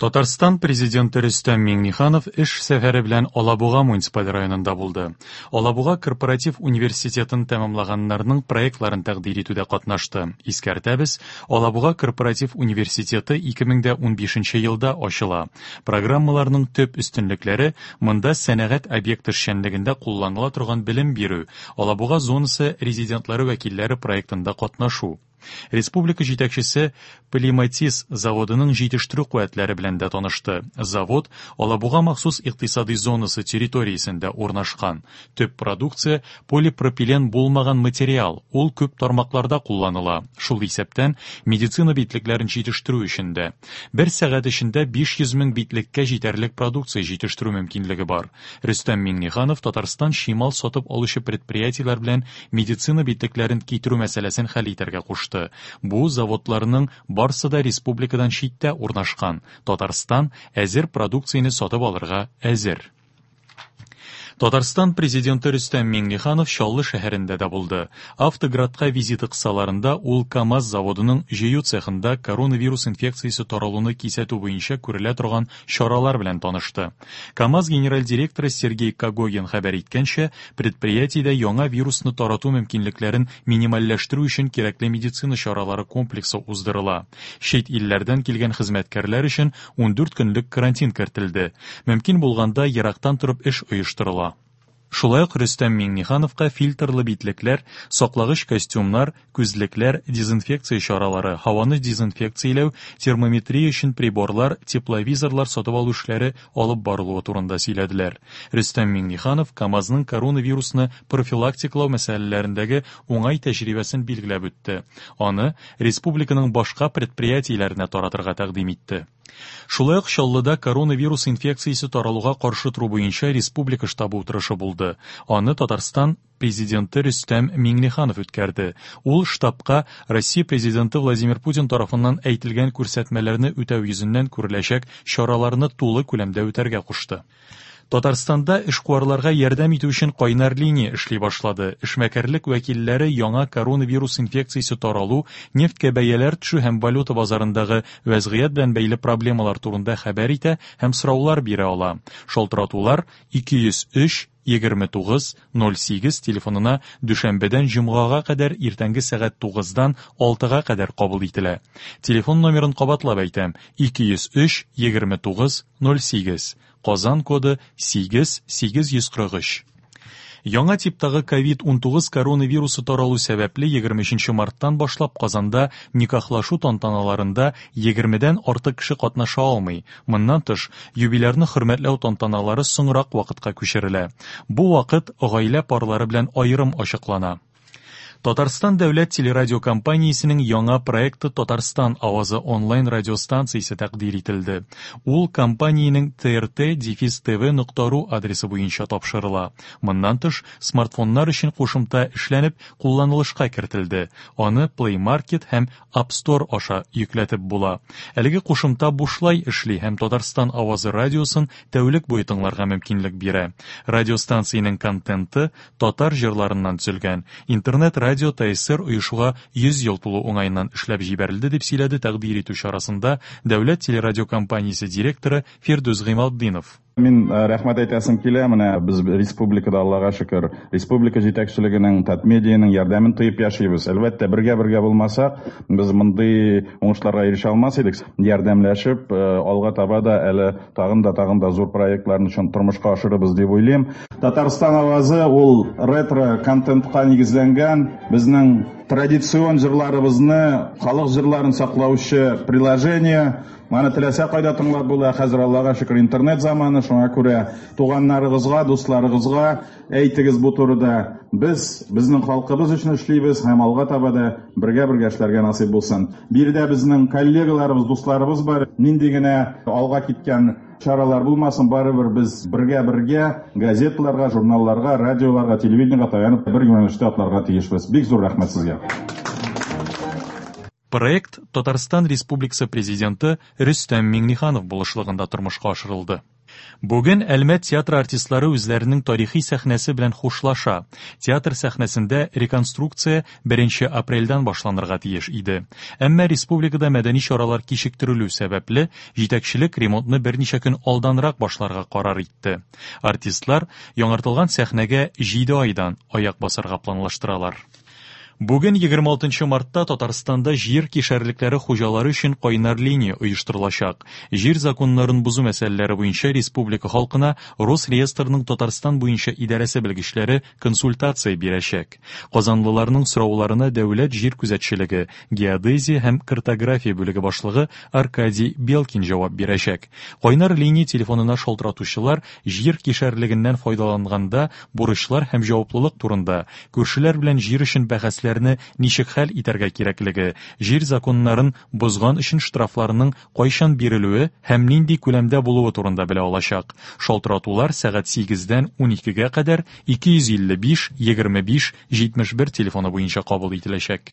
Татарстан Президенты Рөстәм Миңнеханов эш сәфәре белән Алабуга муниципаль районында булды. Алабуга корпоратив университетын тәмамлаганнарның проектларын тәкъдир итүдә катнашты. Искәртәбез, Алабуга корпоратив университеты 2015 елда ачыла. Программаларның төп өстенлекләре монда сәнәгать объекты эшчәнлегендә кулланыла торган белем бирү, Алабуга зонасы резидентлары вәкилләре проектында катнашу. Республика җитәкчесе Полиматиз заводының җитештерү куәтләре белән дә танышты. Завод Алабуга махсус икътисадый зонасы территориясендә урнашкан. Төп продукция полипропилен булмаган материал, ул күп тармакларда кулланыла, шул исәптән медицина битлекләрен җитештерү өчен дә. Бер сәгать эчендә 500 мең битлеккә җитәрлек продукция җитештерү мөмкинлеге бар. Рөстәм Миңнеханов Татарстан чимал сатып алучы предприятиеләр белән медицина битлекләрен китерү мәсьәләсен хәл итәргә кушты. Бу заводларның барсы да республикадан читтә урнашкан. Татарстан әзер продукцияне сатып алырга әзер. Татарстан Президенты Рөстәм Миңнеханов Чаллы шәһәрендә дә булды. Автоградка визиты кысаларында ул КАМАЗ заводының җыю цехында коронавирус инфекциясе таралуны кисәтү буенча күрелә торган чаралар белән танышты. КАМАЗ генераль директоры Сергей Когогин хәбәр иткәнчә, предприятиедә яңа вирусны тарату мөмкинлекләрен минимальләштерү өчен кирәкле медицина чаралары комплексы уздырыла. Чит илләрдән килгән хезмәткәрләр өчен 14 көнлек карантин кертелде. Мөмкин булганда ерактан торып эш оештырыла. Шулай ук Рөстәм Миңнехановка фильтрлы битлекләр, саклагыч костюмнар, күзлекләр, дезинфекция чаралары, һаваны дезинфекцияләү, термометрия өчен приборлар, тепловизорлар сатып алу эшләре алып барылуы турында сөйләделәр. Рөстәм Миңнеханов КАМАЗның коронавирусны профилактикалау мәсьәләләрендәге уңай тәҗрибәсен билгеләп үтте. Аны республиканың башка предприятиеләренә таратырга тәкъдим итте. Шулай ук Чаллыда коронавирус инфекциясе таралуга каршы тору буенча республика штабы утырышы булды. Аны Татарстан Президенты Рөстәм Миңнеханов үткәрде. Ул штабка Россия Президенты Владимир Путин тарафыннан әйтелгән күрсәтмәләрне үтәү йөзеннән күреләчәк чараларны тулы күләмдә үтәргә кушты. Татарстанда эшкуарларга ярдәм итү өчен кайнар линия эшли башлады. Эшмәкәрлек вәкилләре яңа коронавирус инфекциясе таралу, нефтькә бәяләр төшү һәм валюта базарындагы вәзгыять белән бәйле проблемалар турында хәбәр итә һәм сораулар бирә ала. Шалтыратулар 203 29 08 телефонына дүшәмбедән җомгага кадәр иртәнге сәгать 9-дан 6-га кадәр кабул ителә. Телефон номерын кабатлап әйтәм: 203 29 08. Казан коды 8843. Яңа типтагы COVID-19 коронавирусы таралу сәбәпле 23 марттан башлап Казанда никахлашу тантаналарында 20-дән артык кеше катнаша алмый. Моннан тыш, юбилярны хөрмәтләү тантаналары соңрак вакытка күчерелә. Бу вакыт гаилә парлары белән аерым ачыклана. Татарстан дәүләт телерадиокомпаниясенең яңа проекты Татарстан авазы онлайн радиостанциясе тәкъдир ителде. Ул компаниянең trt-tv.ru адресы буенча тапшырыла. Моннан тыш, смартфоннар өчен кушымта эшләнеп, кулланылышка кертелде. Аны Play Market һәм App Store аша йөкләтеп була. Әлеге кушымта бушлай эшли һәм Татарстан авазы радиосын тәүлек буе тыңларга мөмкинлек бирә. Радиостанциянең контенты татар җырларыннан төзелгән. Интернет-радио ТСР оешуга 100 ел тулу уңаеннан эшләп җибәрелде, дип сөйләде тәкъдир итү чарасында Дәүләт телерадиокомпаниясе директоры Фирдүс Гыймалтдинов. Мин э, рәхмәт әйтәсем килә, менә без республикада, Аллага шөкер, республика җитәкчелегенең, Татмедианың ярдәмен тоеп яшибез. Әлбәттә, бергә-бергә булмасак, без мондый уңышларга ирешә алмас идек. Ярдәмләшеп, э, алга таба да әле тагын да тагын да зур проектларны чын тормышка ашырырбыз дип уйлыйм. Татарстан авазы ул ретро контентка нигезләнгән, безнең традицион җырларыбызны, халык җырларын саклаучы приложение. Моны теләсә кайда тыңлап була. Хәзер Аллага шөкер интернет заманы, шуңа күрә туганнарыгызга, дусларыгызга әйтегез бу турыда. Без безнең халкыбыз өчен эшлибез һәм алга таба да бергә-бергә эшләргә насыйп булсын. Биредә безнең коллегаларыбыз, дусларыбыз бар. Нинди генә алга киткән чаралар булмасын, барыбер без бергә-бергә газеталарга, журналларга, радиоларга, телевидениегә таянып бер юнәлештә атларга тиешбез. Бик зур рәхмәт сезгә. Проект Татарстан Республикасы Президенты Рөстәм Миңнеханов булышлыгында тормышка ашырылды. Бүген Әлмәт театры артистлары үзләренең тарихи сәхнәсе белән хушлаша. Театр сәхнәсендә реконструкция 1 апрельдән башланырга тиеш иде. Әмма республикада мәдәни чаралар кичектерелү сәбәпле, җитәкчелек ремонтны берничә көн алданрак башларга карар итте. Артистлар яңартылган сәхнәгә 7 айдан аяк басарга планлаштыралар. Бүген 26 мартта Татарстанда җир кишәрлекләре хуҗалары өчен кайнар линия оештырылачак. Җир законнарын бозу мәсьәләләре буенча республика халкына Росреестрның Татарстан буенча идарәсе белгечләре консультация бирәчәк. Казанлыларның сорауларына дәүләт җир күзәтчелеге, геодезия һәм картография бүлеге башлыгы Аркадий Белкин җавап бирәчәк. Кайнар линия телефонына шалтыратучылар җир кишәрлегеннән файдаланганда бурычлар һәм җаваплылык турында, күршеләр белән җир өчен бәхәсләрне ничек хәл итәргә кирәклеге, җир законнарын бозган өчен штрафларның кайчан бирелүе һәм нинди күләмдә булуы турында белә алачак. Шалтыратулар сәгать 8-дән 12-гә кадәр 255 25 71 телефоны буенча кабул ителәчәк.